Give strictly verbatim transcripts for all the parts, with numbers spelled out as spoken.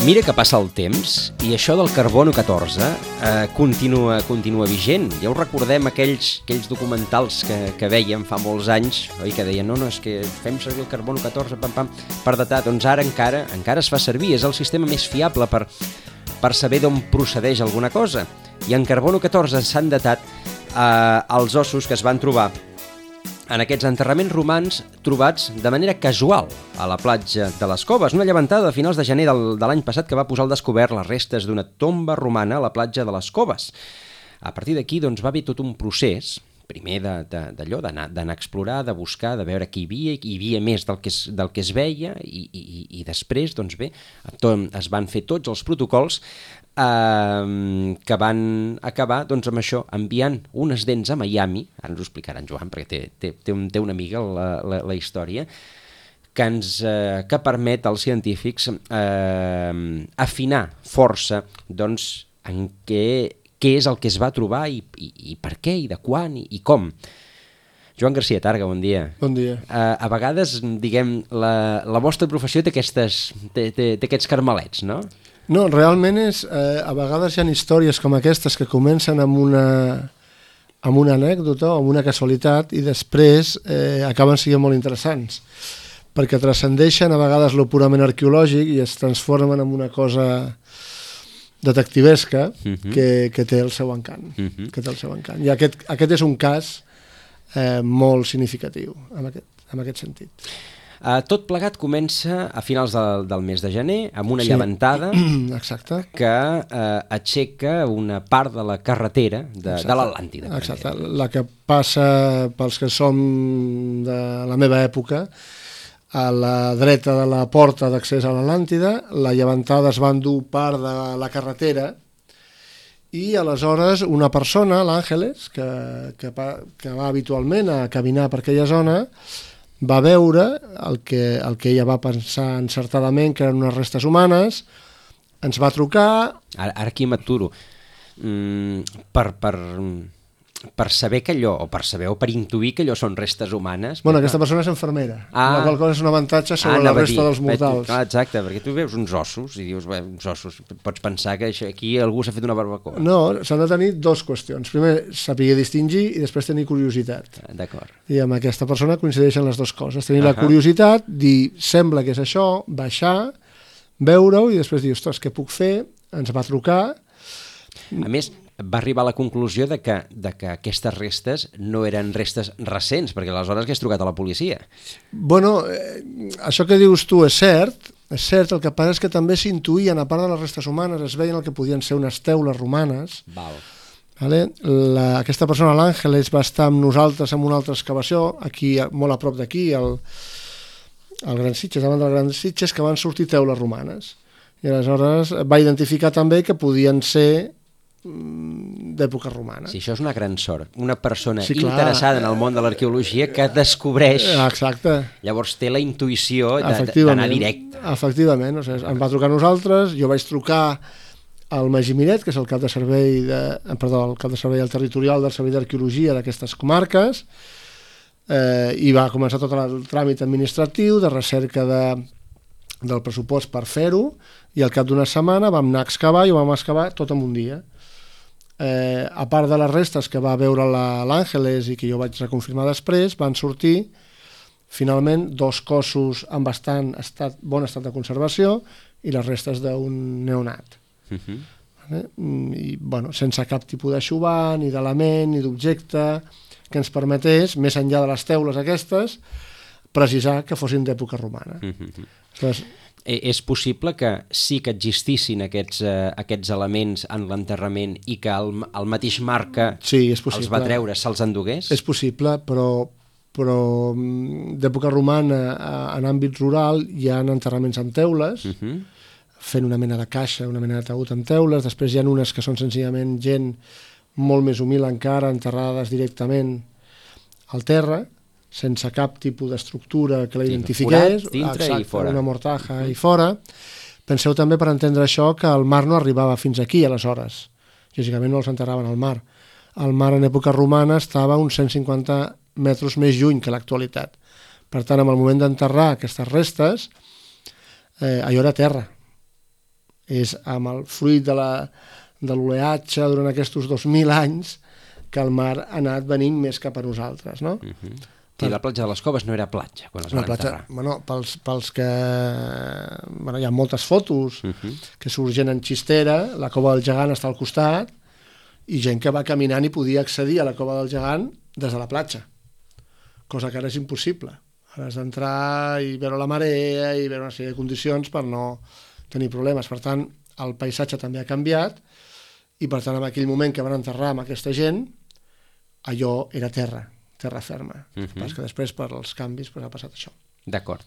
Mira que passa el temps i això del carbono catorze eh, continua, continua vigent. Ja ho recordem aquells, aquells documentals que, que veiem fa molts anys, oi? Que deien, no, no, és que fem servir el carbono catorze pam, pam, per datar. Doncs ara encara, encara es fa servir, és el sistema més fiable per, per saber d'on procedeix alguna cosa. I en carbono catorze s'han datat eh, els ossos que es van trobar en aquests enterraments romans trobats de manera casual a la platja de les Coves. Una llevantada a finals de gener del, de l'any passat que va posar al descobert les restes d'una tomba romana a la platja de les Coves. A partir d'aquí doncs, va haver tot un procés, primer d'allò, d'anar a explorar, de buscar, de veure qui hi havia, hi havia més del que es, del que es veia, i, i, i després, doncs bé, es van fer tots els protocols eh, que van acabar doncs, amb això, enviant unes dents a Miami, ara ens ho explicarà en Joan, perquè té, té, té, un, té una amiga la, la, la història, que, ens, eh, que permet als científics eh, afinar força doncs, en què què és el que es va trobar i, i, i per què, i de quan, i, i com. Joan Garcia Targa, bon dia. Bon dia. Uh, a vegades, diguem, la, la vostra professió té, aquestes, té, té, té aquests carmelets, no? No, realment és, eh, a vegades hi ha històries com aquestes que comencen amb una, amb una anècdota o amb una casualitat i després eh, acaben sent molt interessants, perquè transcendeixen a vegades lo purament arqueològic i es transformen en una cosa detectivesca uh-huh. que, que té el seu encant. Uh-huh. Que té el seu encant. I aquest, aquest és un cas eh, molt significatiu en aquest, en aquest sentit. Uh, tot plegat comença a finals del, del mes de gener amb una sí. llevantada Exacte. que uh, aixeca una part de la carretera de, de l'Atlàntida. Exacte. La que passa pels que som de la meva època a la dreta de la porta d'accés a l'Atlàntida, la llevantada es va endur part de la carretera i aleshores una persona, l'Àngeles, que, que, que va habitualment a caminar per aquella zona, va veure el que, el que ella va pensar encertadament que eren unes restes humanes, ens va trucar... Ara, ara aquí m'aturo. Mm, per... per... per saber que allò, o per saber, o per intuir que allò són restes humanes... Bueno, aquesta persona és infermera, ah, la qual cosa és un avantatge sobre ah, la resta dir, dels mortals. Ah, exacte, perquè tu veus uns ossos i dius, bé, uns ossos, pots pensar que aquí algú s'ha fet una barbacoa. No, s'han de tenir dues qüestions. Primer, saber distingir i després tenir curiositat. D'acord. I amb aquesta persona coincideixen les dues coses. Tenir uh-huh. la curiositat, dir, sembla que és això, baixar, veure-ho i després dir, ostres, què puc fer? Ens va trucar... A més, va arribar a la conclusió de que, de que aquestes restes no eren restes recents, perquè aleshores hagués trucat a la policia. Bueno, eh, això que dius tu és cert, és cert, el que passa és que també s'intuïen, a part de les restes humanes, es veien el que podien ser unes teules romanes. Val. Vale? La, aquesta persona, l'Àngeles, va estar amb nosaltres en una altra excavació, aquí, molt a prop d'aquí, al, al Gran Sitges, davant del Gran Sitges, que van sortir teules romanes. I aleshores va identificar també que podien ser d'època romana. Sí, això és una gran sort. Una persona sí, clar, interessada en el món de l'arqueologia que descobreix... Exacte. Llavors té la intuïció d'anar directe. Efectivament. O sigui, em va trucar a nosaltres, jo vaig trucar al Magí Miret, que és el cap de servei de, perdó, el cap de servei del territorial del Servei d'Arqueologia d'aquestes comarques, eh, i va començar tot el tràmit administratiu de recerca de, del pressupost per fer-ho, i al cap d'una setmana vam anar a excavar i ho vam excavar tot en un dia. Eh, a part de les restes que va veure l'Àngeles i que jo vaig reconfirmar després, van sortir finalment dos cossos en bastant estat, bon estat de conservació i les restes d'un neonat. Uh-huh. Vale? I, bueno, sense cap tipus d'aixovar, ni d'element, ni d'objecte que ens permetés, més enllà de les teules aquestes, precisar que fossin d'època romana. Uh-huh. Aleshores, és possible que sí que existissin aquests, eh, aquests elements en l'enterrament i que el, el mateix Marca sí, és possible. Els va treure, se'ls endugués? És possible, però, però d'època romana en àmbit rural hi ha enterraments en teules, uh-huh. fent una mena de caixa, una mena de taüt en teules, després hi ha unes que són senzillament gent molt més humil encara, enterrades directament al terra, sense cap tipus d'estructura que la identifiqués, forat, dintre exacte, i fora. Una mortaja uh-huh. i fora. Penseu també, per entendre això, que el mar no arribava fins aquí aleshores. Lògicament no els enterraven al mar. El mar en època romana estava uns cent cinquanta metres més lluny que l'actualitat. Per tant, en el moment d'enterrar aquestes restes, eh, allò era terra. És amb el fruit de la, de l'oleatge durant aquests dos mil anys que el mar ha anat venint més cap a nosaltres, no? Uh-huh. Sí, la platja de les Coves no era platja quan es Una van platja, enterrar. bueno, pels, pels que... Bueno, hi ha moltes fotos Uh-huh. que surgen en xistera, la Cova del Gegant està al costat, i gent que va caminant i podia accedir a la Cova del Gegant des de la platja, cosa que ara és impossible. Ara has d'entrar i veure la marea i veure una sèrie de condicions per no tenir problemes. Per tant, el paisatge també ha canviat, i per tant, en aquell moment que van enterrar amb aquesta gent, allò era terra, terra ferma. Uh -huh. Pas que després, per als canvis, pues, ha passat això. D'acord.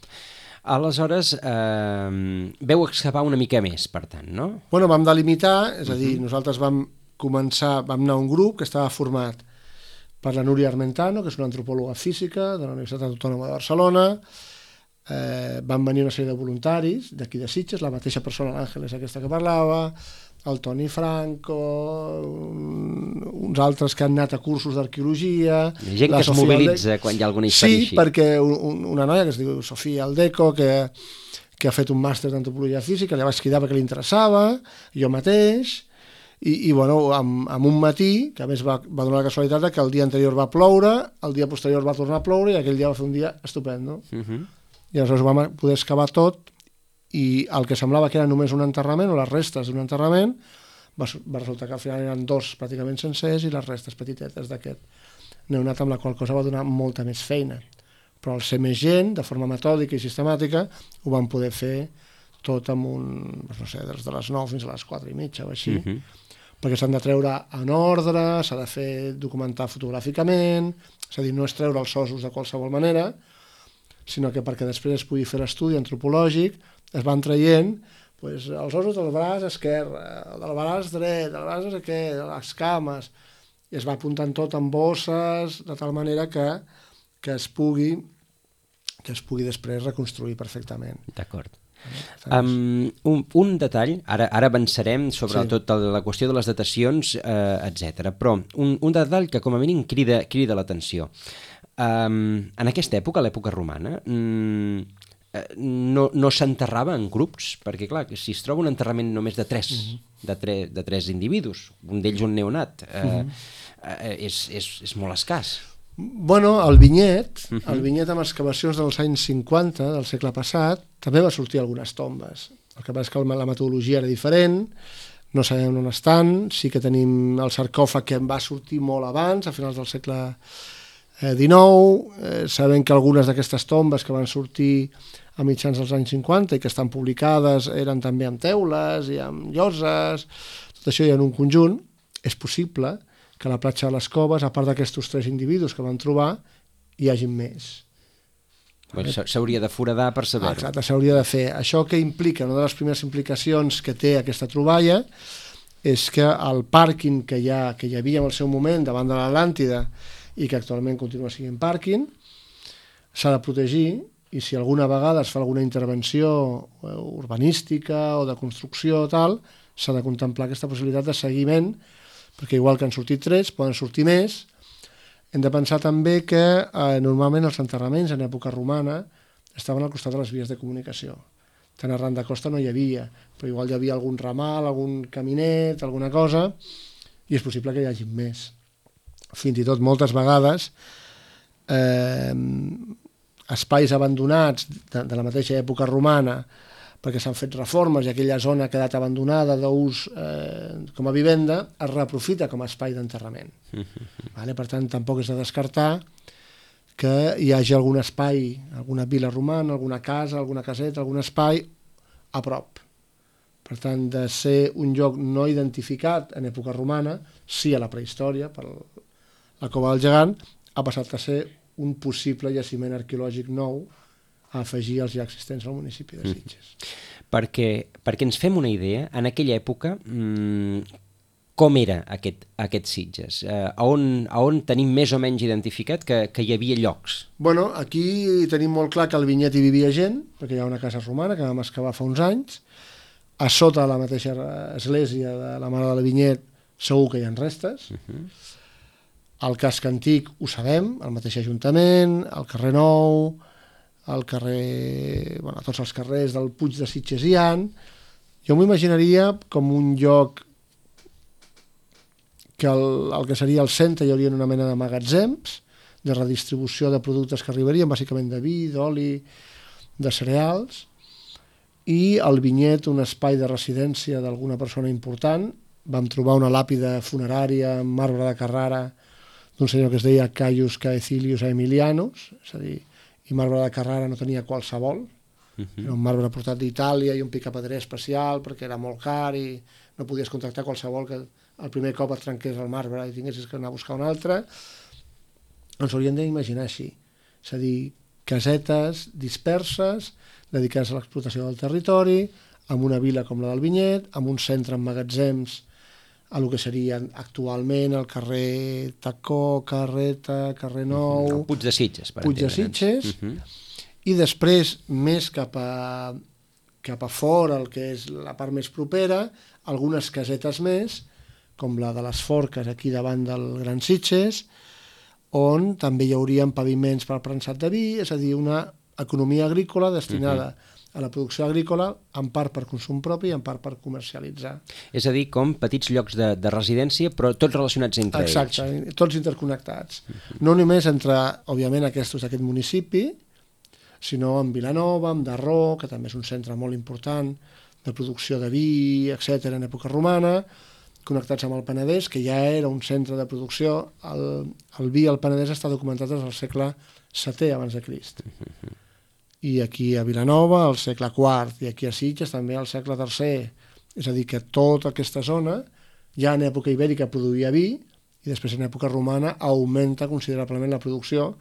Aleshores, eh, veu excavar una mica més, per tant, no? Bueno, vam delimitar, és a dir, uh-huh. nosaltres vam començar, vam anar a un grup que estava format per la Núria Armentano, que és una antropòloga física de la Universitat Autònoma de Barcelona. Eh, van venir una sèrie de voluntaris d'aquí de Sitges, la mateixa persona, l'Àngel, aquesta que parlava, el Toni Franco, un, uns altres que han anat a cursos d'arqueologia. Gent que es mobilitza quan hi ha alguna història sí, així. Sí, perquè un, una noia que es diu Sofia Aldeco, que, que ha fet un màster d'antropologia física, li vaig cridar perquè li interessava, jo mateix, i, i bueno, amb, amb un matí, que a més va, va donar la casualitat que el dia anterior va ploure, el dia posterior va tornar a ploure, i aquell dia va fer un dia estupendo. Uh -huh. I aleshores vam poder excavar tot, i el que semblava que era només un enterrament, o les restes d'un enterrament, va, va resultar que al final eren dos pràcticament sencers i les restes petitetes d'aquest neonat, amb la qual cosa va donar molta més feina. Però al ser més gent, de forma metòdica i sistemàtica, ho van poder fer tot amb un, no sé, des de les nou fins a les quatre i mitja o així, uh-huh. perquè s'han de treure en ordre, s'ha de fer documentar fotogràficament, és a dir, no és treure els ossos de qualsevol manera, sinó que perquè després es pugui fer l'estudi antropològic es van traient pues, els ossos del braç esquerre, del braç dret, del braç no sé què, de les cames, i es va apuntant tot en bosses, de tal manera que, que es pugui que es pugui després reconstruir perfectament. D'acord. Um, un, un detall, ara, ara avançarem sobre sí. tot la qüestió de les datacions, eh, etcètera. Però un, un detall que com a mínim crida, crida l'atenció. Um, en aquesta època, l'època romana, um, no, no s'enterrava en grups, perquè clar, si es troba un enterrament només de tres, uh-huh. de, tre, de tres individus, un d'ells un neonat, eh, uh-huh. eh, és, és, és molt escàs. Bueno, el vinyet, uh-huh. el vinyet amb excavacions dels anys cinquanta del segle passat, també va sortir algunes tombes. El que passa és que la metodologia era diferent, no sabem on estan, sí que tenim el sarcòfag que en va sortir molt abans, a finals del segle dinou, eh, sabem que algunes d'aquestes tombes que van sortir a mitjans dels anys cinquanta i que estan publicades eren també amb teules i amb lloses, tot això hi ha en un conjunt. És possible que a la platja de les Coves, a part d'aquests tres individus que van trobar, hi hagi més. Bueno, s'hauria de foradar per saber-ho. Exacte, s'hauria de fer. Això que implica, una de les primeres implicacions que té aquesta troballa és que el pàrquing que hi, ha, que hi havia en el seu moment davant de l'Atlàntida i que actualment continua sent pàrquing, s'ha de protegir, i si alguna vegada es fa alguna intervenció urbanística o de construcció o tal, s'ha de contemplar aquesta possibilitat de seguiment, perquè igual que han sortit tres, poden sortir més. Hem de pensar també que eh, normalment els enterraments en època romana estaven al costat de les vies de comunicació. Tant arran de costa no hi havia, però igual hi havia algun ramal, algun caminet, alguna cosa, i és possible que hi hagi més. Fins i tot moltes vegades eh, espais abandonats de, de la mateixa època romana, perquè s'han fet reformes i aquella zona ha quedat abandonada d'ús eh, com a vivenda, es reaprofita com a espai d'enterrament. Vale? Per tant, tampoc és de descartar que hi hagi algun espai, alguna vila romana, alguna casa, alguna caseta, algun espai a prop. Per tant, de ser un lloc no identificat en època romana, sí a la prehistòria, per la Cova del Gegant, ha passat a ser un possible jaciment arqueològic nou a afegir als ja existents al municipi de Sitges. Mm. Perquè, perquè ens fem una idea, en aquella època, mmm, com era aquest, aquest Sitges? Eh, a, on, a on tenim més o menys identificat que, que hi havia llocs? Bueno, aquí tenim molt clar que al Vinyet hi vivia gent, perquè hi ha una casa romana que vam excavar fa uns anys. A sota la mateixa església de la Mare de la Vinyet segur que hi ha restes. Uh-huh. El casc antic ho sabem, el mateix Ajuntament, el carrer Nou, el carrer, bueno, tots els carrers del Puig de Sitges hi ha, Jo m'ho imaginaria com un lloc que el, el que seria el centre hi hauria una mena de magatzems de redistribució de productes que arribarien, bàsicament de vi, d'oli, de cereals, i al vinyet un espai de residència d'alguna persona important. Vam trobar una làpida funerària en marbre de Carrara d'un senyor que es deia Caius Caecilius Aemilianus, és a dir, i marbre de Carrara no tenia qualsevol, uh-huh. Era un marbre portat d'Itàlia i un picapedrer especial perquè era molt car i no podies contractar qualsevol que el primer cop et trenqués el marbre i tinguessis que anar a buscar un altre. Ens hauríem d'imaginar així, és a dir, casetes disperses dedicades a l'explotació del territori, amb una vila com la del Vinyet, amb un centre en magatzems a el que serien actualment el carrer Tacó, Carreta, carrer Nou... El Puig de Sitges, per Puig de Sitges, uh-huh. I després, més cap a, cap a fora, el que és la part més propera, algunes casetes més, com la de les Forques aquí davant del Gran Sitges, on també hi haurien paviments per al prensat de vi, és a dir, una economia agrícola destinada uh-huh. a la producció agrícola, en part per consum propi i en part per comercialitzar. És a dir, com petits llocs de, de residència, però tots relacionats entre Exacte, ells. Exacte, tots interconnectats. Uh-huh. No només entre, òbviament, aquests d'aquest municipi, sinó en Vilanova, en Darró, que també és un centre molt important de producció de vi, etcètera, en època romana, connectats amb el Penedès, que ja era un centre de producció. El, el vi al Penedès està documentat des del segle setè abans de Crist. Uh-huh. I aquí a Vilanova, al segle quart, i aquí a Sitges també al segle tercer. És a dir, que tota aquesta zona, ja en època ibèrica produïa vi, i després en època romana augmenta considerablement la producció,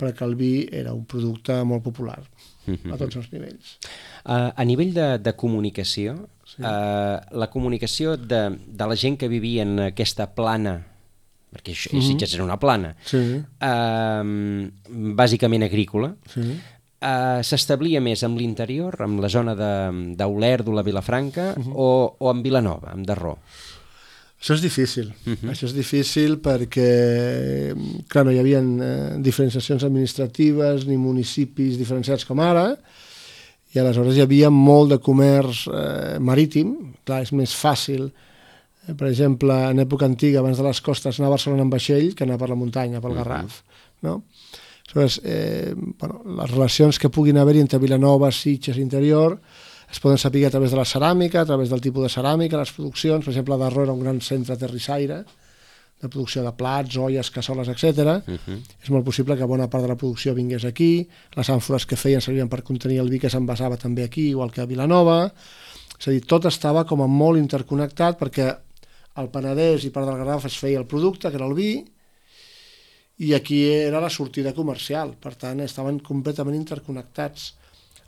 perquè el vi era un producte molt popular a tots els nivells. Uh, a nivell de, de comunicació, sí. uh, la comunicació de, de la gent que vivia en aquesta plana, perquè això, mm-hmm. Sitges era una plana, sí. uh, bàsicament agrícola, sí. uh, s'establia més amb l'interior, amb la zona d'Olèrdola, Vilafranca, mm-hmm. o, o amb Vilanova, amb Darró? Això és difícil, uh-huh. Això és difícil perquè, clar, no hi havia eh, diferenciacions administratives ni municipis diferenciats com ara, i aleshores hi havia molt de comerç eh, marítim. Clar, és més fàcil, eh, per exemple, en època antiga, abans de les costes, anar a Barcelona amb vaixell que anar per la muntanya, pel Garraf, uh-huh. no? Aleshores, eh, bueno, les relacions que puguin haver-hi entre Vilanova, Sitges i interior es poden saber a través de la ceràmica, a través del tipus de ceràmica, les produccions. Per exemple, Darró era un gran centre terrissaire de producció de plats, olles, cassoles, etcètera. Uh-huh. És molt possible que bona part de la producció vingués aquí. Les àmfores que feien servien per contenir el vi que s'envasava també aquí, igual que a Vilanova. És a dir, tot estava com a molt interconnectat perquè al Penedès i part del Garraf es feia el producte, que era el vi, i aquí era la sortida comercial. Per tant, estaven completament interconnectats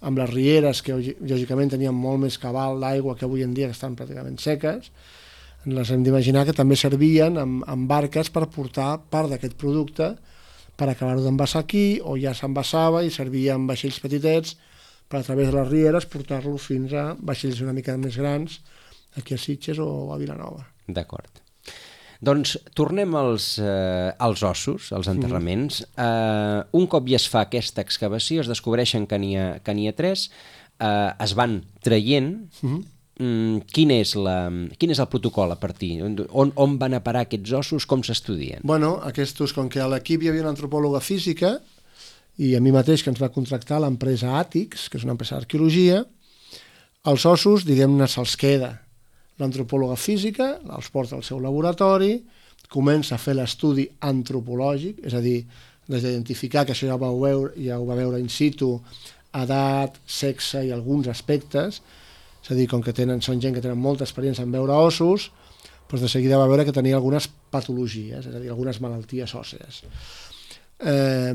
amb les rieres, que lògicament tenien molt més cabal d'aigua que avui en dia, que estan pràcticament seques. Les hem d'imaginar que també servien amb, amb barques per portar part d'aquest producte per acabar-ho d'envasar aquí, o ja s'envasava i servia amb vaixells petitets per a través de les rieres portar-lo fins a vaixells una mica més grans aquí a Sitges o a Vilanova. D'acord. Doncs tornem als, eh, als ossos, als enterraments. Mm. Eh, un cop ja es fa aquesta excavació, es descobreixen que n'hi ha, que n'hi ha tres, eh, es van traient. Mm-hmm. Mm, quin, és la, quin és el protocol a partir? On, on van a parar aquests ossos? Com s'estudien? Bueno, aquests, com que a l'equip hi havia una antropòloga física, i a mi mateix que ens va contractar l'empresa Àtics, que és una empresa d'arqueologia, els ossos, diguem-ne, se'ls queda l'antropòloga física, els porta al seu laboratori, comença a fer l'estudi antropològic, és a dir, des d'identificar, que això ja ho va veure, ja ho va veure in situ, edat, sexe i alguns aspectes, és a dir, com que tenen, són gent que tenen molta experiència en veure ossos, doncs de seguida va veure que tenia algunes patologies, és a dir, algunes malalties òssees. Eh,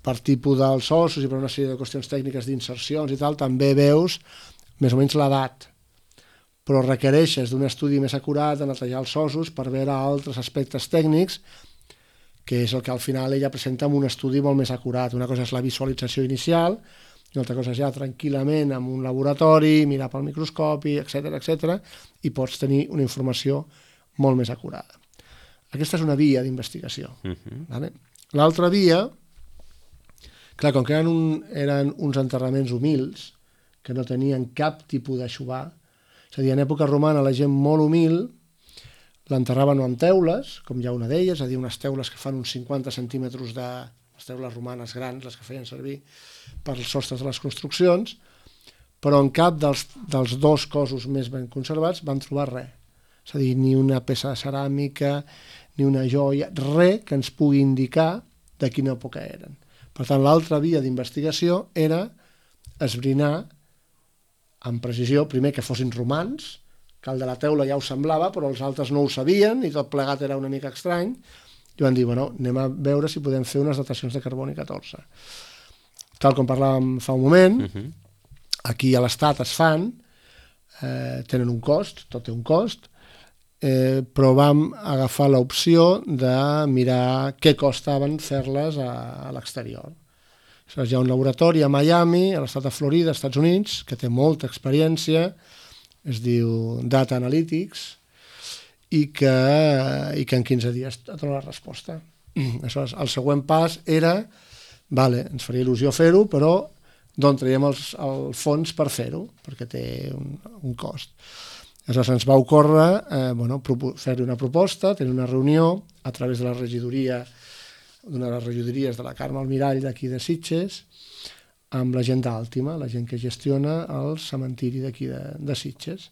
per tipus dels ossos i per una sèrie de qüestions tècniques d'insercions i tal, també veus més o menys l'edat, però requereixes d'un estudi més acurat de netejar els ossos per veure altres aspectes tècnics, que és el que al final ella presenta amb un estudi molt més acurat. Una cosa és la visualització inicial, i una altra cosa és ja tranquil·lament en un laboratori, mirar pel microscopi, etcètera, etcètera, i pots tenir una informació molt més acurada. Aquesta és una via d'investigació. Uh-huh. Vale? L'altra via, clar, com que eren, un, eren uns enterraments humils, que no tenien cap tipus d'aixovar, És a dir, en època romana la gent molt humil l'enterraven amb teules, com hi ha una d'elles, és a dir, unes teules que fan uns cinquanta centímetres de... les teules romanes grans, les que feien servir per als sostres de les construccions, però en cap dels, dels dos cossos més ben conservats van trobar res. És a dir, ni una peça de ceràmica, ni una joia, res que ens pugui indicar de quina època eren. Per tant, l'altra via d'investigació era esbrinar amb precisió, primer que fossin romans, que el de la teula ja ho semblava, però els altres no ho sabien i tot plegat era una mica estrany, i van dir, bueno, anem a veure si podem fer unes datacions de carboni catorze. Tal com parlàvem fa un moment, uh-huh. Aquí a l'Estat es fan, eh, tenen un cost, tot té un cost, eh, però vam agafar l'opció de mirar què costaven fer-les a, a l'exterior. Hi ha un laboratori a Miami, a l'estat de Florida, als Estats Units, que té molta experiència, es diu Data Analytics, i que, i que en quinze dies et dona la resposta. Aleshores, el següent pas era, vale, ens faria il·lusió fer-ho, però d'on traiem els, el fons per fer-ho, perquè té un, un cost. Aleshores ens va ocórrer eh, bueno, fer-hi una proposta, tenir una reunió a través de la regidoria, d'una de les regidories de la Carme Almirall d'aquí de Sitges, amb la gent d'Àltima, la gent que gestiona el cementiri d'aquí de, de Sitges.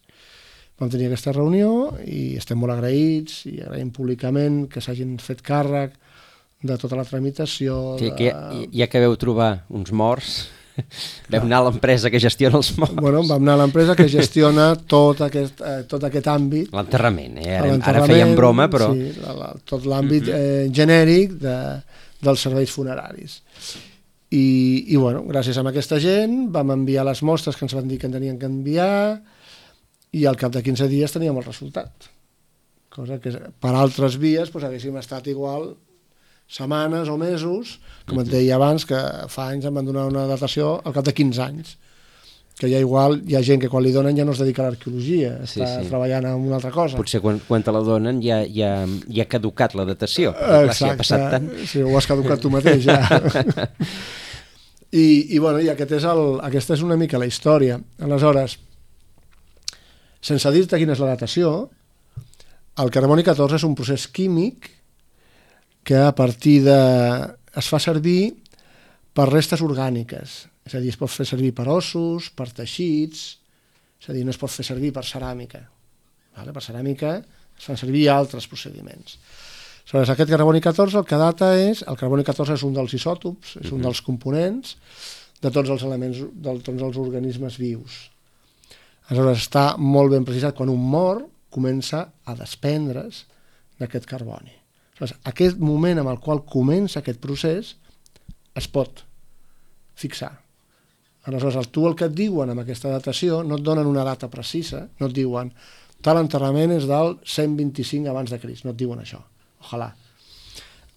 Vam tenir aquesta reunió i estem molt agraïts i agraïm públicament que s'hagin fet càrrec de tota la tramitació. Sí, que ja, ja que veu trobar uns morts, vau anar a l'empresa que gestiona els morts. Bueno, vam anar a l'empresa que gestiona tot aquest, eh, tot aquest àmbit. L'enterrament, eh? Ara, ara fèiem broma, però... Sí, la, la, tot l'àmbit eh, genèric de, dels serveis funeraris. I, i bueno, gràcies a aquesta gent vam enviar les mostres que ens van dir que en tenien que enviar i al cap de quinze dies teníem el resultat. Cosa que per altres vies doncs, haguéssim estat igual setmanes o mesos, com et deia abans, que fa anys em van donar una datació al cap de quinze anys, que ja igual hi ha gent que quan li donen ja no es dedica a l'arqueologia, sí, està sí. treballant en una altra cosa. Potser quan, quan te la donen ja, ja, ja ha caducat la datació. Exacte, clar, si ha passat tant... sí, ho has caducat tu mateix ja. I, i, bueno, i aquest és el, aquesta és una mica la història. Aleshores, sense dir-te quina és la datació, el carboni catorze és un procés químic que a partir de... es fa servir per restes orgàniques, és a dir, es pot fer servir per ossos, per teixits, és a dir, no es pot fer servir per ceràmica. Vale? Per ceràmica es fan servir altres procediments. Aleshores, aquest carboni catorze el que data és... El carboni catorze és un dels isòtops, és un dels components de tots els elements, de tots els organismes vius. Aleshores, està molt ben precisat. Quan un mor, comença a desprendre's d'aquest carboni. Aleshores, aquest moment en el qual comença aquest procés es pot fixar. Aleshores, tu el que et diuen amb aquesta datació no et donen una data precisa, no et diuen tal enterrament és del cent vint-i-cinc abans de Crist, no et diuen això, ojalà.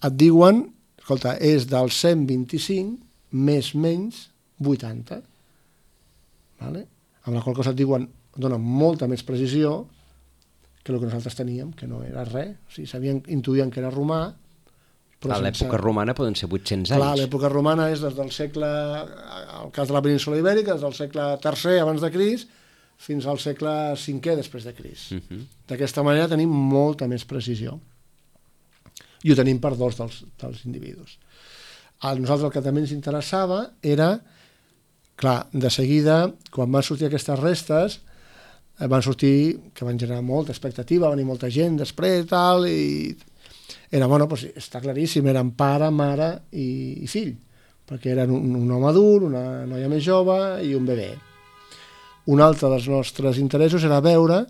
Et diuen, escolta, és del cent vint-i-cinc més menys vuitanta, vale? Amb la qual cosa et diuen, et donen molta més precisió que el que nosaltres teníem, que no era res. O sigui, sabien, intuïen que era romà. Però a l'època sense... romana poden ser vuit-cents anys. Clar, l'època romana és des del segle, el cas de la península ibèrica, des del segle tercer abans de Crist fins al segle cinquè després de Crist. Uh-huh. D'aquesta manera tenim molta més precisió. I ho tenim per dos dels, dels individus. A nosaltres el que també ens interessava era, clar, de seguida, quan van sortir aquestes restes, van sortir, que van generar molta expectativa, va venir molta gent després i tal, i era, bueno, doncs està claríssim, eren pare, mare i, i fill, perquè eren un, un home adult, una noia més jove i un bebè. Un altre dels nostres interessos era veure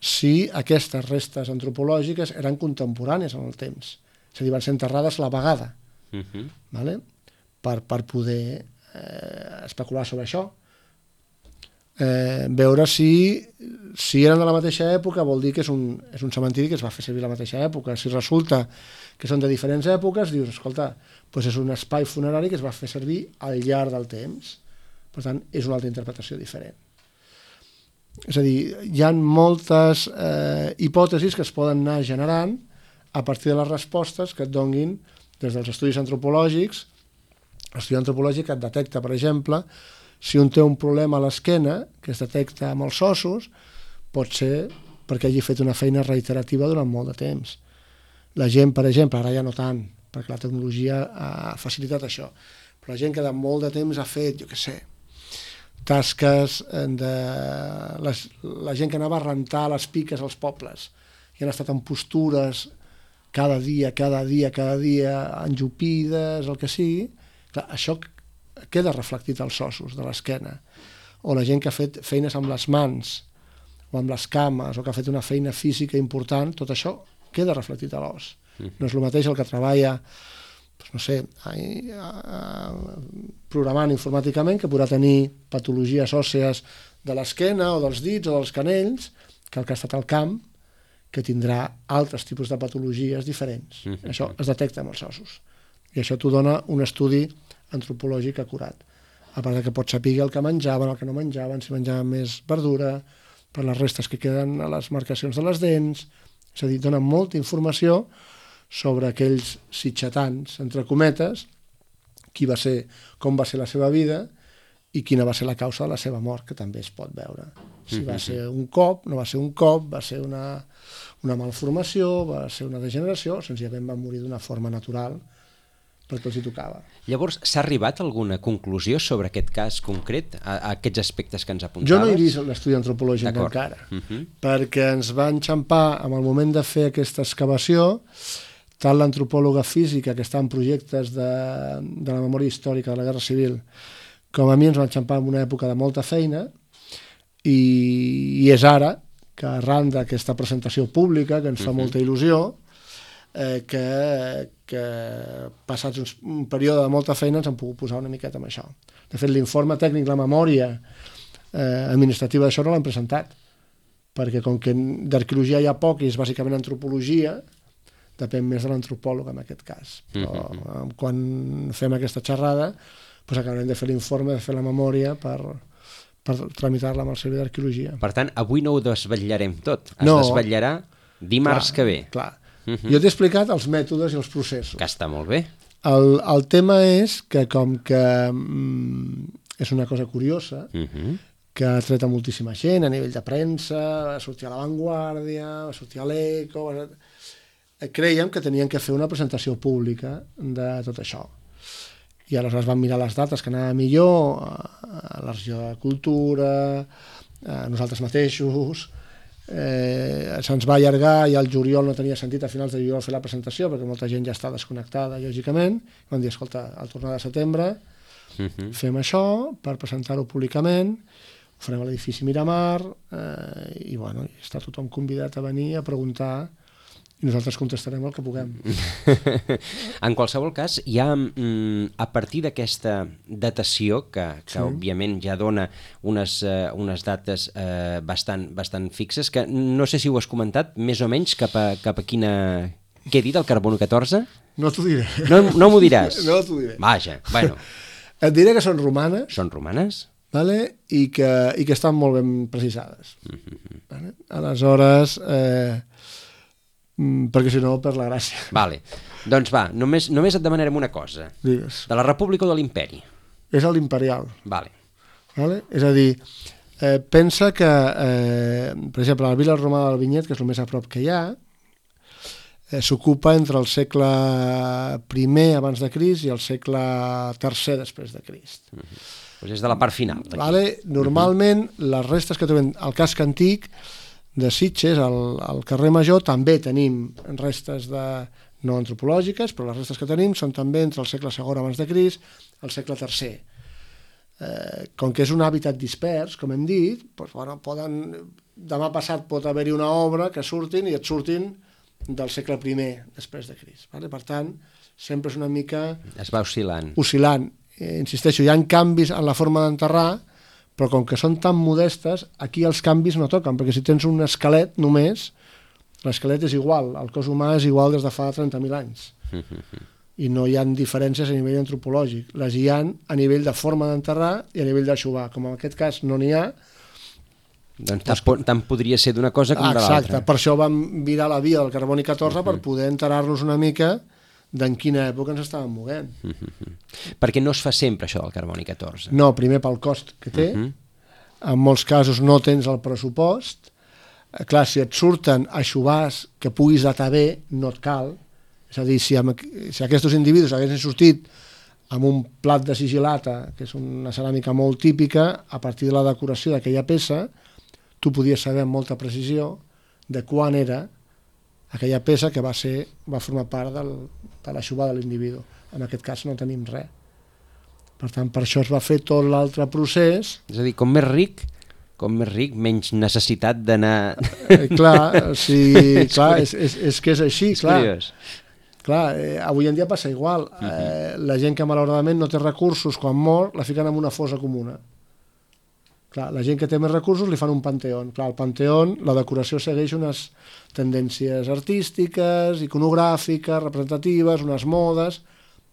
si aquestes restes antropològiques eren contemporànies en el temps, és a dir, van ser enterrades a la vegada, uh-huh. vale? per, per poder eh, especular sobre això. Eh, veure si, si eren de la mateixa època vol dir que és un, és un cementiri que es va fer servir a la mateixa època. Si resulta que són de diferents èpoques, dius, escolta, doncs és un espai funerari que es va fer servir al llarg del temps. Per tant, és una altra interpretació diferent. És a dir, hi ha moltes eh, hipòtesis que es poden anar generant a partir de les respostes que et donguin des dels estudis antropològics. L'estudi antropològic et detecta, per exemple, si un té un problema a l'esquena, que es detecta amb els ossos, pot ser perquè hagi fet una feina reiterativa durant molt de temps. La gent, per exemple, ara ja no tant, perquè la tecnologia ha facilitat això, però la gent que de molt de temps ha fet, jo què sé, tasques de... Les, la gent que anava a rentar les piques als pobles i han estat en postures cada dia, cada dia, cada dia, enjupides, el que sigui, clar, això queda reflectit als ossos de l'esquena. O la gent que ha fet feines amb les mans o amb les cames, o que ha fet una feina física important, tot això queda reflectit a l'os. No és el mateix el que treballa, doncs no sé, programant informàticament, que podrà tenir patologies òssees de l'esquena o dels dits o dels canells, que el que ha estat al camp, que tindrà altres tipus de patologies diferents. Mm-hmm. Això es detecta amb els ossos. I això t'ho dona un estudi antropològic acurat. A part que pots saber el que menjaven, el que no menjaven, si menjaven més verdura, per les restes que queden a les marcacions de les dents. És a dir, dona molta informació sobre aquells sitxatans, entre cometes, qui va ser, com va ser la seva vida i quina va ser la causa de la seva mort, que també es pot veure. Si va ser un cop, no va ser un cop, va ser una, una malformació, va ser una degeneració, senzillament va morir d'una forma natural, perquè els hi tocava. Llavors, s'ha arribat a alguna conclusió sobre aquest cas concret, a, a aquests aspectes que ens apuntaves? Jo no he vist l'estudi antropològic encara, uh-huh. perquè ens va enxampar en el moment de fer aquesta excavació, tant l'antropòloga física que està en projectes de, de la memòria històrica de la Guerra Civil, com a mi ens va enxampar en una època de molta feina, i, i és ara que arran d'aquesta presentació pública, que ens fa uh-huh. molta il·lusió, eh, que, que passats un, un període de molta feina ens han pogut posar una miqueta amb això. De fet, l'informe tècnic, la memòria eh, administrativa d'això no l'hem presentat, perquè com que d'arqueologia hi ha poc i és bàsicament antropologia, depèn més de l'antropòleg en aquest cas. Però uh-huh. quan fem aquesta xerrada, doncs acabarem de fer l'informe, de fer la memòria per, per tramitar-la amb el Servei d'Arqueologia. Per tant, avui no ho desvetllarem tot, es no, desvetllarà dimarts clar, que ve. Clar. Uh-huh. Jo t'he explicat els mètodes i els processos. Que està molt bé. El, el tema és que com que mm, és una cosa curiosa, uh-huh. que ha tret a moltíssima gent a nivell de premsa, va sortir a La Vanguardia, va sortir a l'Eco, va... creiem que tenien que fer una presentació pública de tot això. I aleshores vam mirar les dates que anava millor, a la regió de Cultura, a nosaltres mateixos, eh, se'ns va allargar i al juliol no tenia sentit a finals de juliol fer la presentació perquè molta gent ja està desconnectada, lògicament. Vam dir, escolta, al tornar de setembre uh-huh. fem això per presentar-ho públicament, ho farem a l'edifici Miramar, eh, i bueno, està tothom convidat a venir a preguntar i nosaltres contestarem el que puguem. En qualsevol cas, hi ha, a partir d'aquesta datació, que, que sí. òbviament ja dona unes, uh, unes dates uh, bastant, bastant fixes, que no sé si ho has comentat, més o menys cap a, cap a quina... Què he dit, el carbono catorze? No t'ho diré. No, no m'ho diràs? No t'ho diré. Vaja, bueno. Et diré que són romanes. Són romanes? Vale? I, que, i que estan molt ben precisades. Mm-hmm. Vale? Aleshores... Eh, perquè si no per la gràcia. Vale. Doncs va, només, només et demanarem una cosa. Digues. De la República o de l'Imperi? És l'imperial. Vale. Vale? És a dir, eh, pensa que, eh, per exemple, la Vila Romana del Vinyet, que és el més a prop que hi ha, eh, s'ocupa entre el segle primer abans de Crist i el segle tercer després de Crist. Uh-huh. Pues és de la part final. Vale? Normalment, uh-huh. les restes que trobem al casc antic de Sitges, al, al carrer Major, també tenim restes de, no antropològiques, però les restes que tenim són també entre el segle segon abans de Crist i el segle tercer. Eh, com que és un hàbitat dispers, com hem dit, doncs, bueno, poden, demà passat pot haver-hi una obra que surtin i et surtin del segle primer després de Crist. Vale? Per tant, sempre és una mica... Es va oscil·lant. Oscil·lant. Eh, insisteixo, hi ha canvis en la forma d'enterrar, però com que són tan modestes, aquí els canvis no toquen, perquè si tens un esquelet només, l'esquelet és igual, el cos humà és igual des de fa trenta mil anys. I no hi ha diferències a nivell antropològic. Les hi ha a nivell de forma d'enterrar i a nivell d'aixovar. Com en aquest cas no n'hi ha... Doncs tant, tant podria ser d'una cosa com de l'altra. Exacte, per això vam virar la via del carboni catorze per poder enterar-nos una mica d'en quina època ens estàvem movent. Uh-huh. Perquè no es fa sempre això del carboni catorze. No, primer pel cost que té, uh-huh. en molts casos no tens el pressupost, Clar, si et surten aixovars que puguis datar bé, no et cal. És a dir, si, amb, si aquests individus haguessin sortit amb un plat de sigil·lata, que és una ceràmica molt típica, a partir de la decoració d'aquella peça, tu podies saber amb molta precisió de quan era aquella peça que va ser va formar part del, de l'aixovar de l'individu. En aquest cas no tenim res. Per tant, per això es va fer tot l'altre procés. És a dir, com més ric, com més ric, menys necessitat d'anar... Eh, clar, sí, clar és, és, és que és així, és clar. Curiós. Clar, eh, avui en dia passa igual. Eh, uh-huh. La gent que malauradament no té recursos, quan mor, la fiquen en una fossa comuna. Clar, la gent que té més recursos li fan un panteón. Clar, al panteón la decoració segueix unes tendències artístiques, iconogràfiques, representatives, unes modes,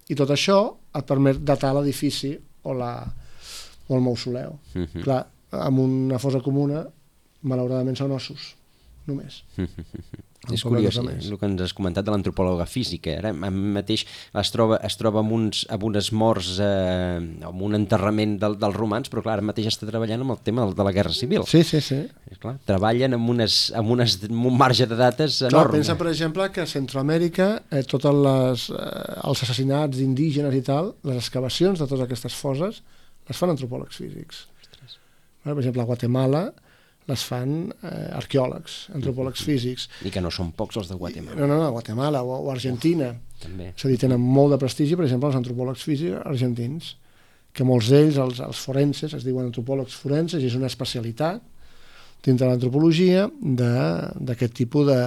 i tot això et permet datar l'edifici o, la, o el mausoleu. Uh-huh. Clar, amb una fossa comuna, malauradament són ossos, només. És curiós, el que ens has comentat de l'antropòloga física. Ara mateix es troba, es troba amb, uns, amb unes morts, eh, amb un enterrament del, dels romans, però clar, ara mateix està treballant amb el tema de la Guerra Civil. Sí, sí, sí. Clar, treballen amb, unes, amb, unes, amb un marge de dates enorme. Clar, pensa, per exemple, que a Centroamèrica, eh, tots les, eh, els assassinats indígenes i tal, les excavacions de totes aquestes fosses, les fan antropòlegs físics. Per exemple, a Guatemala les fan eh, arqueòlegs, antropòlegs físics. I que no són pocs els de Guatemala. No, no, no, Guatemala o, o Argentina. Uf, també. És a dir, tenen molt de prestigi, per exemple, els antropòlegs físics argentins, que molts d'ells, els, els forenses, es diuen antropòlegs forenses, i és una especialitat dintre de l'antropologia d'aquest tipus de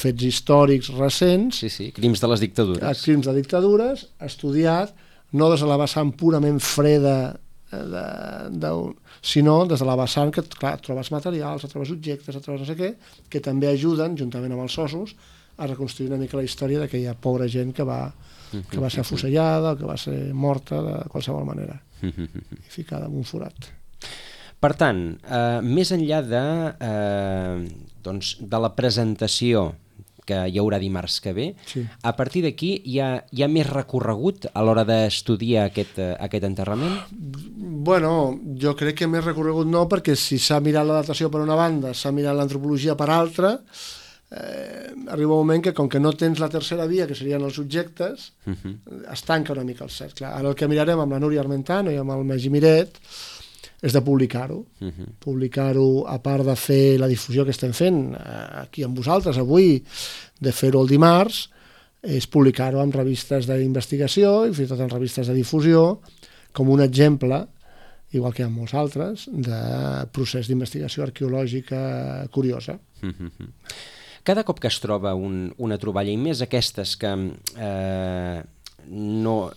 fets històrics recents. Sí, sí, crims de les dictadures. Crims de dictadures, estudiat, no des de la vessant purament freda De, de, sinó des de la vessant que clar, trobes materials, trobes objectes, trobes no sé què, que també ajuden, juntament amb els ossos, a reconstruir una mica la història d'aquella pobra gent que va, que va ser afusellada o que va ser morta de qualsevol manera i ficada en un forat. Per tant, eh, més enllà de, eh, doncs, de la presentació que hi haurà dimarts que ve, sí. A partir d'aquí hi, ha, hi ha més recorregut a l'hora d'estudiar aquest, aquest enterrament? Bueno, jo crec que més recorregut no, perquè si s'ha mirat la datació per una banda, s'ha mirat l'antropologia per altra, eh, arriba un moment que com que no tens la tercera via, que serien els objectes, uh-huh. es tanca una mica el cert. Clar, ara el que mirarem amb la Núria Armentano i amb el Magí Miret és de publicar-ho. Uh-huh. Publicar-ho, a part de fer la difusió que estem fent aquí amb vosaltres avui, de fer-ho el dimarts, és publicar-ho en revistes d'investigació i fins i tot en revistes de difusió, com un exemple, igual que hi ha molts altres, de procés d'investigació arqueològica curiosa. Uh-huh. Cada cop que es troba un, una troballa, i més aquestes que... Eh, no,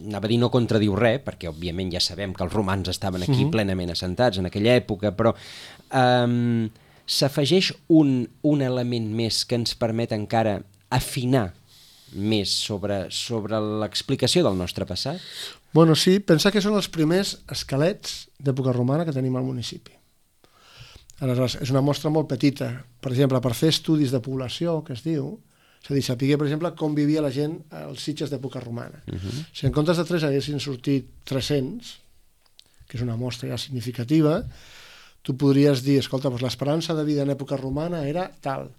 anava a dir no contradiu res, perquè òbviament ja sabem que els romans estaven aquí uh-huh. plenament assentats en aquella època, però um, s'afegeix un, un element més que ens permet encara afinar més sobre, sobre l'explicació del nostre passat? Bueno, sí, pensar que són els primers esquelets d'època romana que tenim al municipi. Aleshores, és una mostra molt petita. Per exemple, per fer estudis de població, que es diu, és a dir, saber, per exemple, com vivia la gent als Sitges d'època romana. Uh-huh. Si en comptes de tres haguessin sortit tres-cents, que és una mostra ja significativa, tu podries dir, escolta, doncs l'esperança de vida en època romana era tal,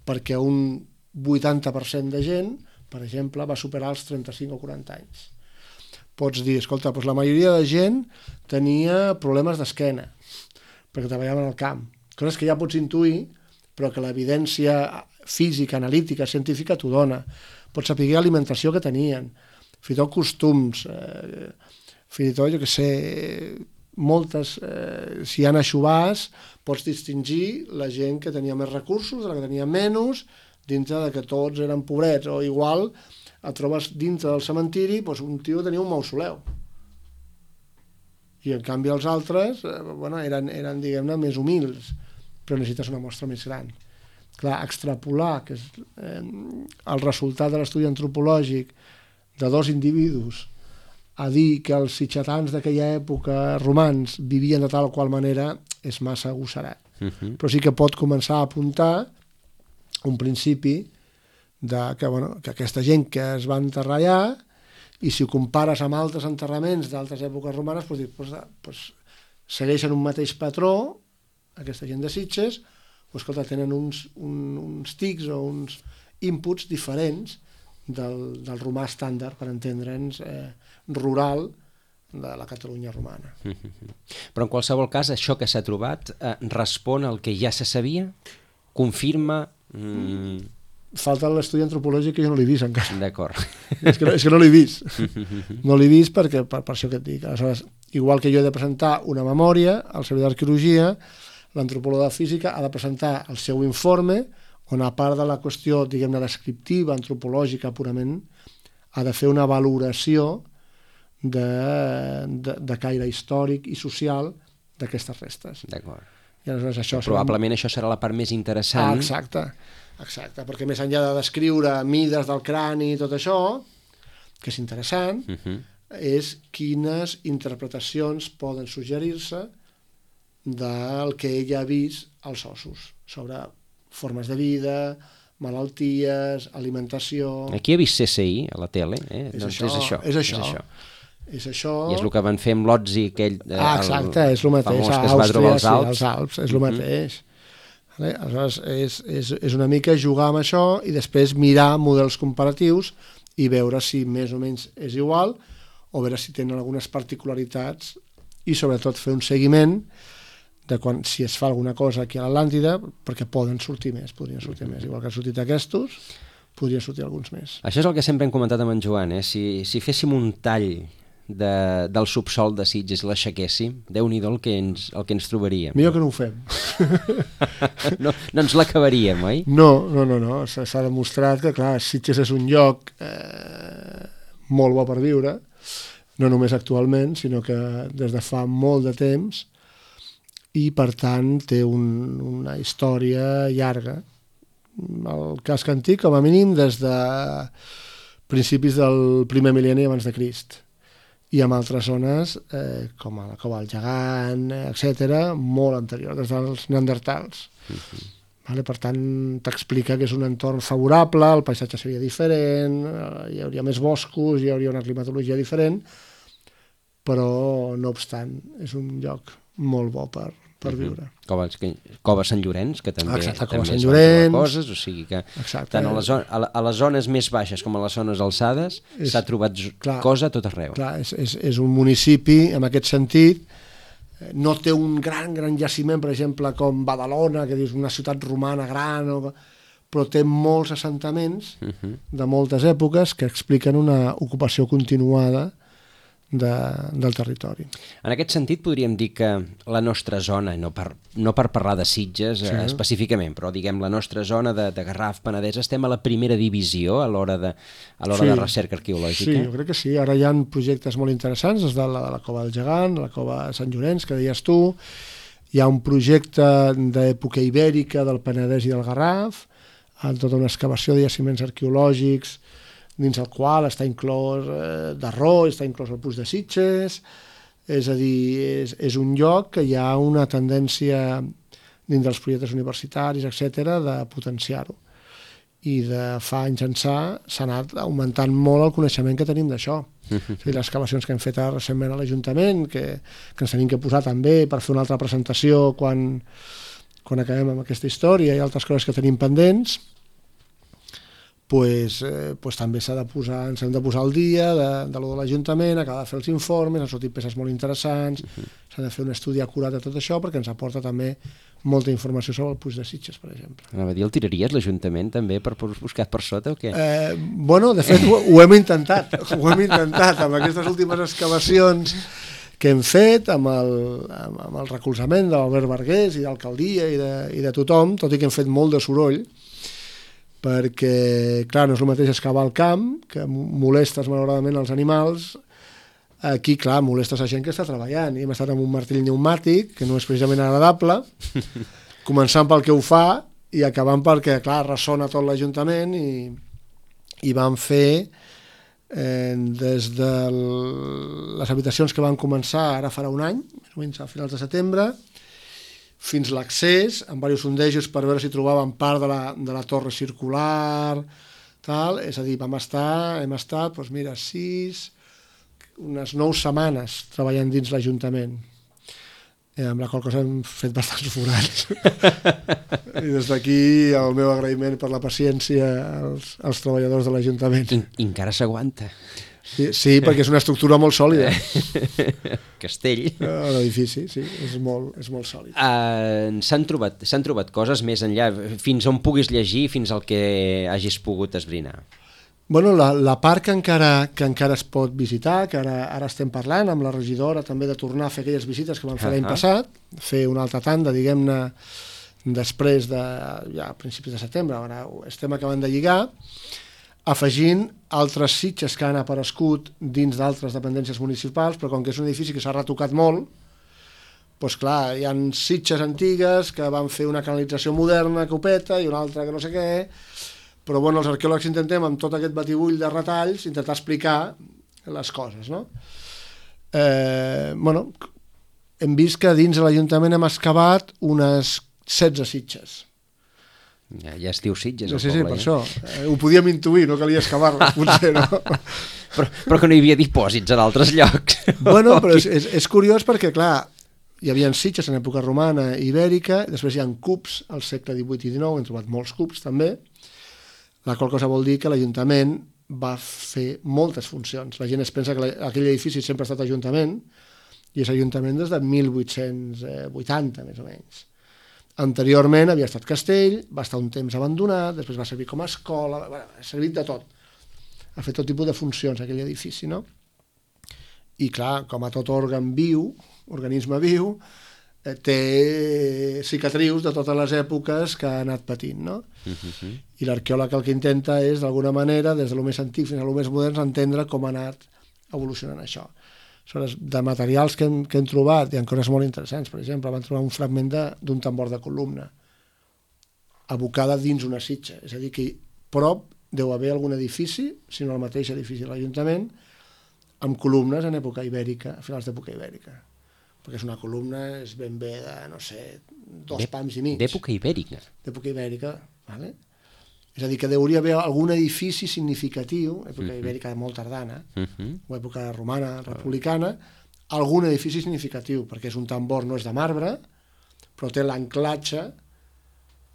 perquè un vuitanta per cent de gent, per exemple, va superar els trenta-cinc o quaranta anys. Pots dir, escolta, doncs la majoria de gent tenia problemes d'esquena, perquè treballaven al camp. Coses que ja pots intuir, però que l'evidència física, analítica, científica t'ho dona. Pots saber l'alimentació que tenien, fins i tot costums, eh, fins i tot, jo què sé, moltes, eh, si hi ha aixovars, pots distingir la gent que tenia més recursos de la que tenia menys, dintre de que tots eren pobrets, o igual et trobes dintre del cementiri, doncs un tio tenia un mausoleu. I en canvi els altres, eh, bueno, eren, eren diguem-ne, més humils, però necessites una mostra més gran. Clar, extrapolar que és, eh, el resultat de l'estudi antropològic de dos individus a dir que els sitgetans d'aquella època romans vivien de tal o qual manera és massa agosserat. Uh-huh. Però sí que pot començar a apuntar un principi de que, bueno, que aquesta gent que es va enterrar allà, i si ho compares amb altres enterraments d'altres èpoques romanes, doncs, doncs, doncs, segueixen un mateix patró, aquesta gent de Sitges, pues, escolta, tenen uns, un, uns tics o uns inputs diferents del, del romà estàndard, per entendre'ns, eh, rural de la Catalunya romana. Però en qualsevol cas, això que s'ha trobat eh, respon al que ja se sabia? Confirma? Mm... Falta l'estudi antropològic que jo no l'he vist encara. D'acord. És que, no, és que no l'he vist. No l'he vist perquè, per, per això que et dic. Aleshores, igual que jo he de presentar una memòria, el servei d'arqueologia, l'antropòloga de física ha de presentar el seu informe, on a part de la qüestió, diguem-ne, descriptiva, antropològica purament, ha de fer una valoració de, de, de caire històric i social d'aquestes restes. D'acord. I aleshores això probablement serà... això serà la part més interessant. Ah, exacte, exacte, perquè més enllà de descriure mides del crani i tot això, que és interessant, uh -huh. és quines interpretacions poden suggerir-se del que ella ha vist als ossos, sobre formes de vida, malalties, alimentació... Aquí he vist C S I a la tele, eh? És, doncs això, és això. És això. És això. És això... I és el que van fer amb l'Otzi, aquell eh, ah, exacte, és el mateix, famós a que es va trobar als Àustria, Alps. sí, als Alps, és el mateix. Vale? Aleshores, és, és, és una mica jugar amb això i després mirar models comparatius i veure si més o menys és igual o veure si tenen algunes particularitats i sobretot fer un seguiment de quan, si es fa alguna cosa aquí a l'Atlàntida, perquè poden sortir més, podrien sortir més. Igual que han sortit aquests, podrien sortir alguns més. Això és el que sempre hem comentat amb en Joan, eh? Si, si féssim un tall de, del subsol de Sitges i l'aixequéssim, Déu-n'hi-do el, que ens, el que ens trobaríem. Millor que no ho fem. no, no ens l'acabaríem, oi? No, no, no, no. S'ha demostrat que, clar, Sitges és un lloc eh, molt bo per viure, no només actualment, sinó que des de fa molt de temps, i per tant té un, una història llarga. El casc antic, com a mínim, des de principis del primer mil·lenni abans de Crist. I amb altres zones, eh, com a la Cova del Gegant, etcètera, molt anterior, des dels neandertals. Uh-huh. Vale? Per tant, t'explica que és un entorn favorable, el paisatge seria diferent, hi hauria més boscos, hi hauria una climatologia diferent, però, no obstant, és un lloc molt bo per, per viure. Cova, Cova Sant Llorenç, que també, Exacte, també Sant es Llorenç, van trobar coses, o sigui que exacte, tant a les, a, a les zones més baixes com a les zones alçades s'ha trobat clar, cosa a tot arreu. Clar, és, és, és un municipi, en aquest sentit, no té un gran, gran jaciment, per exemple, com Badalona, que és una ciutat romana gran, o, però té molts assentaments uh -huh. de moltes èpoques que expliquen una ocupació continuada De, del territori. En aquest sentit podríem dir que la nostra zona, no per, no per parlar de Sitges sí. eh, específicament, però diguem la nostra zona de, de Garraf, Penedès, estem a la primera divisió a l'hora de, a l'hora sí. de recerca arqueològica? Sí, jo crec que sí. Ara hi ha projectes molt interessants, des de la, de la Cova del Gegant, la Cova de Sant Llorenç, que deies tu, hi ha un projecte d'època ibèrica del Penedès i del Garraf, amb tota una excavació de jaciments arqueològics dins el qual està inclòs eh, Darró, està inclòs el Puig de Sitges, és a dir, és, és un lloc que hi ha una tendència dins dels projectes universitaris, etcètera, de potenciar-ho. I de fa anys ençà s'ha anat augmentant molt el coneixement que tenim d'això. O sigui, les excavacions que hem fet recentment a l'Ajuntament, que, que ens tenim que posar també per fer una altra presentació quan, quan acabem amb aquesta història i altres coses que tenim pendents, Pues, eh, pues també s'ha de posar, ens hem de posar al dia de, de lo de l'Ajuntament, acabar de fer els informes, han sortit peces molt interessants, uh-huh. s'ha de fer un estudi acurat de tot això perquè ens aporta també molta informació sobre el Puig de Sitges, per exemple. Anava a dir, el tiraries l'Ajuntament també per buscar per sota o què? Eh, bueno, de fet ho, ho hem intentat, ho hem intentat amb aquestes últimes excavacions que hem fet, amb el, amb, amb el recolzament de l'Albert Bargués i d'alcaldia i, de, i de tothom, tot i que hem fet molt de soroll, perquè, clar, no és el mateix excavar al camp, que molestes malauradament els animals, aquí, clar, molestes a gent que està treballant, i hem estat amb un martell pneumàtic, que no és precisament agradable, començant pel que ho fa, i acabant perquè, clar, ressona tot l'Ajuntament, i, i vam fer, eh, des de les habitacions que van començar ara farà un any, més o menys a finals de setembre, fins l'accés, amb diversos sondejos per veure si trobàvem part de la, de la torre circular, tal, és a dir, vam estar, hem estat, doncs mira, sis, unes nou setmanes treballant dins l'Ajuntament. eh, amb la qual cosa hem fet bastants forats. I des d'aquí el meu agraïment per la paciència als, als treballadors de l'Ajuntament. I, encara s'aguanta. Sí, sí, perquè és una estructura molt sòlida. Castell. L'edifici, sí, és molt, és molt sòlid. Uh, s'han trobat, s'han trobat coses més enllà, fins on puguis llegir, fins al que hagis pogut esbrinar? Bueno, la, la part que encara, que encara es pot visitar, que ara, ara estem parlant amb la regidora també de tornar a fer aquelles visites que vam fer uh -huh. l'any passat, fer una altra tanda, diguem-ne, després de, ja a principis de setembre, ara estem acabant de lligar, afegint altres sitges que han aparegut dins d'altres dependències municipals, però com que és un edifici que s'ha retocat molt, doncs clar, hi ha sitges antigues que van fer una canalització moderna, copeta, i una altra que no sé què, però bueno, els arqueòlegs intentem, amb tot aquest batibull de retalls, intentar explicar les coses, no? Eh, bueno, hem vist que dins de l'Ajuntament hem excavat unes setze sitges. Ja, ja es diu Sitges, no, el sí, poble. Sí, per això. Eh, ho podíem intuir, no calia excavar-les, potser, no? però, però que no hi havia dipòsits en altres llocs. Bueno, però és, és, és curiós perquè, clar, hi havia sitges en època romana i ibèrica, després hi ha cubs al segle divuit i dinou, hem trobat molts cubs també, la qual cosa vol dir que l'Ajuntament va fer moltes funcions. La gent es pensa que aquell edifici sempre ha estat Ajuntament, i és Ajuntament des de mil vuit-cents vuitanta, més o menys. Anteriorment havia estat castell, va estar un temps abandonat, després va servir com a escola, bueno, ha servit de tot. Ha fet tot tipus de funcions aquell edifici, no? I clar, com a tot òrgan viu, organisme viu, eh, té cicatrius de totes les èpoques que ha anat patint, no? Uh-huh. I l'arqueòleg el que intenta és, d'alguna manera, des de lo més antic fins a lo més modern, entendre com ha anat evolucionant això. Aleshores, de materials que hem, que hem trobat, hi ha coses molt interessants. Per exemple, vam trobar un fragment d'un tambor de columna abocada dins una sitja. És a dir, que prop deu haver algun edifici, si no el mateix edifici de l'Ajuntament, amb columnes en època ibèrica, a finals d'època ibèrica. Perquè és una columna, és ben bé de, no sé, dos pams i mig. D'època ibèrica? D'època ibèrica, vale? És a dir, que hauria d'haver algun edifici significatiu, època uh-huh. ibèrica molt tardana, uh-huh. o època romana, republicana, algun edifici significatiu, perquè és un tambor, no és de marbre, però té l'anclatge.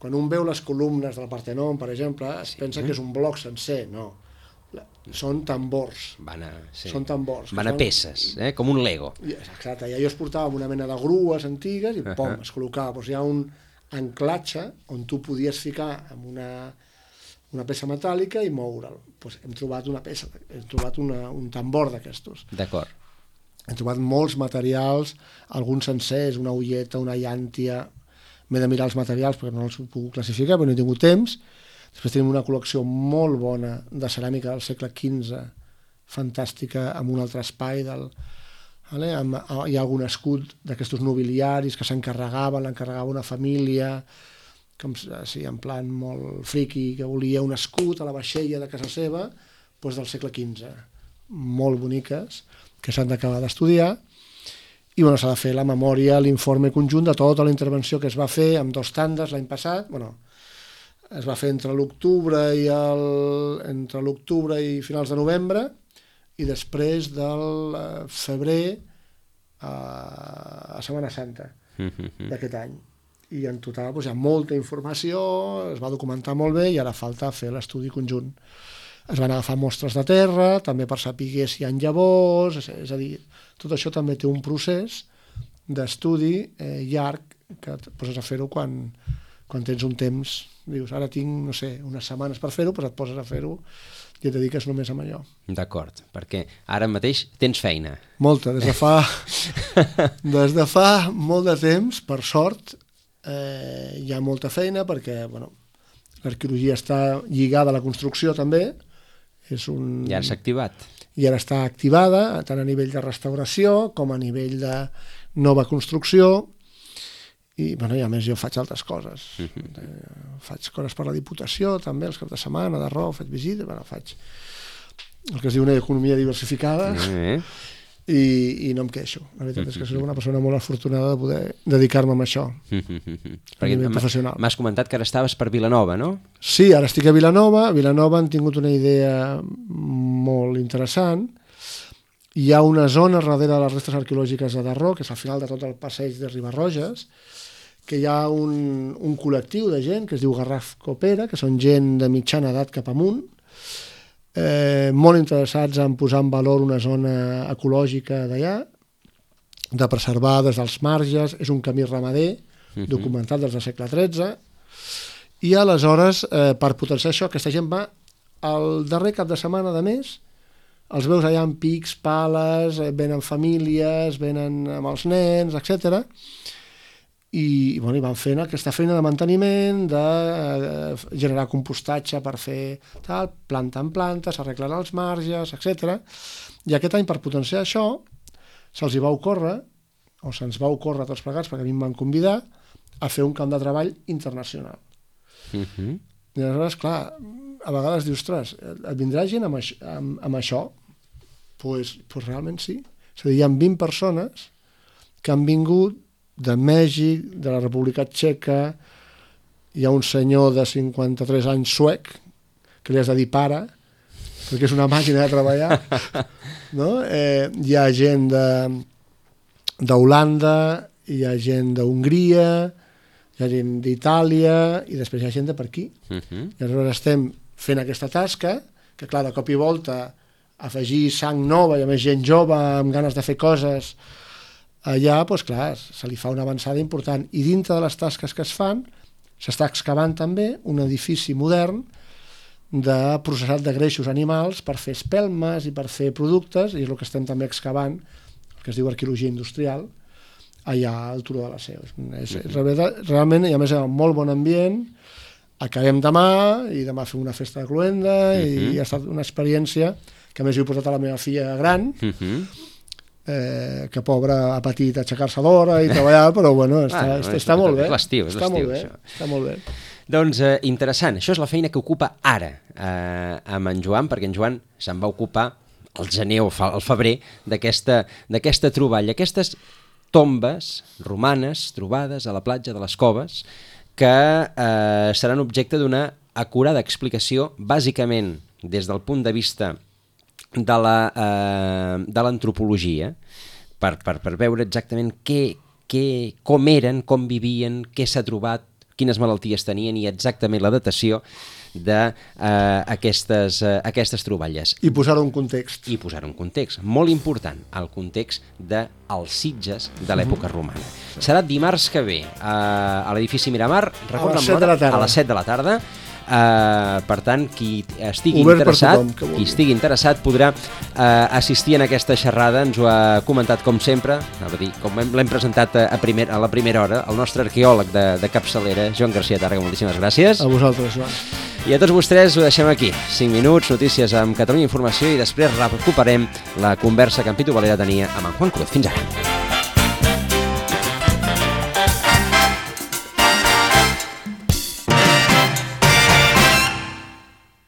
Quan un veu les columnes del Partenon, per exemple, es sí. pensa que és un bloc sencer, no. Són tambors. Van a, sí. Són tambors. Van a peces, eh? Com un Lego. Exacte, i allò es portava amb una mena de grues antigues i pom, uh-huh. es col·locava. Doncs hi ha un anclatge on tu podies ficar amb una... una peça metàl·lica i moure'l. Pues hem trobat una peça, hem trobat una, un tambor d'aquestos. D'acord. Hem trobat molts materials, alguns sencers, una ulleta, una llàntia. M'he de mirar els materials perquè no els puc classificar, però no he tingut temps. Després tenim una col·lecció molt bona de ceràmica del segle quinze, fantàstica, amb un altre espai del... Vale? Amb, hi ha algun escut d'aquestos nobiliaris que s'encarregaven, l'encarregava una família, com sí, en plan molt friqui, que volia un escut a la vaixella de casa seva, doncs del segle quinze. Molt boniques, que s'han d'acabar d'estudiar, i bueno, s'ha de fer la memòria, l'informe conjunt de tota la intervenció que es va fer amb dos tandes l'any passat. Bueno, es va fer entre l'octubre i el, entre l'octubre i finals de novembre, i després del febrer a, a Setmana Santa d'aquest any. I en total doncs, hi ha molta informació, es va documentar molt bé i ara falta fer l'estudi conjunt. Es van agafar mostres de terra, també per saber si hi ha llavors, és a dir, tot això també té un procés d'estudi eh, llarg que et poses a fer-ho quan, quan tens un temps. Dius, ara tinc, no sé, unes setmanes per fer-ho, però et poses a fer-ho i et dediques només a allò. D'acord, perquè ara mateix tens feina. Molta, des de fa, des de fa molt de temps, per sort, Eh, hi ha molta feina perquè bueno, l'arqueologia està lligada a la construcció també, és un... Ja s'ha activat. I ara està activada tant a nivell de restauració com a nivell de nova construcció i, bueno, i a més jo faig altres coses. Uh-huh. eh, faig coses per la Diputació també, els caps de setmana, d'arreu, faig visites, bueno, faig el que es diu una economia diversificada. Uh-huh. I, i no em queixo. La veritat és que soc una persona molt afortunada de poder dedicar-me a això, a nivell professional. M'has comentat que ara estaves per Vilanova, no? Sí, ara estic a Vilanova. A Vilanova han tingut una idea molt interessant. hi ha una zona darrere de les restes arqueològiques de Darró, que és al final de tot el passeig de Ribarroges, que hi ha un, un col·lectiu de gent que es diu Garraf Copera, que són gent de mitjana edat cap amunt, eh, molt interessats en posar en valor una zona ecològica d'allà, de preservar des dels marges, és un camí ramader, uh-huh. documentat des del segle tretze, i aleshores, eh, per potenciar això, aquesta gent va el darrer cap de setmana de mes, els veus allà amb pics, pales, venen famílies, venen amb els nens, etcètera. I, bueno, i van fent aquesta feina de manteniment, de eh, generar compostatge per fer tal, planta en planta, s'arreglen els marges, etcètera. I aquest any, per potenciar això, se'ls hi va ocórrer, o se'ns va ocórrer tots plegats, perquè a mi em van convidar, a fer un camp de treball internacional. Uh-huh. I aleshores, clar, a vegades dius, ostres, et vindrà gent amb, això, amb, amb això? Doncs pues, pues realment sí. És a dir, hi ha vint persones que han vingut de Mèxic, de la República Txeca, hi ha un senyor de cinquanta-tres anys suec, que li has de dir pare, perquè és una màquina de treballar, no? Eh, hi ha gent d'Holanda, hi ha gent d'Hongria, hi ha gent d'Itàlia, i després hi ha gent de per aquí. Uh-huh. I aleshores estem fent aquesta tasca, que clar, de cop i volta, afegir sang nova, i a més gent jove, amb ganes de fer coses, allà, doncs clar, se li fa una avançada important. I dintre de les tasques que es fan, s'està excavant també un edifici modern de processat de greixos animals per fer espelmes i per fer productes, i és el que estem també excavant, el que es diu arqueologia industrial, allà al Turó de la Seu. És, és, realment, i a més, un molt bon ambient. Acabem demà, i demà fem una festa de cloenda, uh-huh. i ha estat una experiència que a més he portat a la meva filla gran, uh-huh. eh, que pobra ha patit aixecar-se d'hora i treballar, però bueno, està, ah, no, està, està molt bé. És l'estiu, és l'estiu, això. Està molt bé. Doncs eh, interessant, això és la feina que ocupa ara eh, amb en Joan, perquè en Joan se'n va ocupar al gener o al febrer d'aquesta d'aquesta troballa, aquestes tombes romanes trobades a la platja de les Coves que eh, seran objecte d'una acurada explicació, bàsicament des del punt de vista de la, eh, de l'antropologia, per, per, per veure exactament què, què, com eren, com vivien, què s'ha trobat, quines malalties tenien i exactament la datació d'aquestes eh, aquestes troballes. I posar-ho en context. I posar-ho en context. Molt important, el context dels Sitges de l'època romana. Serà dimarts que ve eh, a l'edifici Miramar, recorda'm l'hora, a les set de la tarda. Uh, per tant, qui estigui Obert interessat tothom, qui estigui interessat podrà uh, assistir en aquesta xerrada. Ens ho ha comentat com sempre, dir, com l'hem presentat a, primer, a la primera hora, el nostre arqueòleg de, de capçalera, Joan García Tàrrega. Moltíssimes gràcies. A vosaltres, Joan. I a tots vostès ho deixem aquí. cinc minuts, notícies amb Catalunya Informació, i després recuperem la conversa que en Pitu Valera tenia amb en Juan Cruz. Fins ara.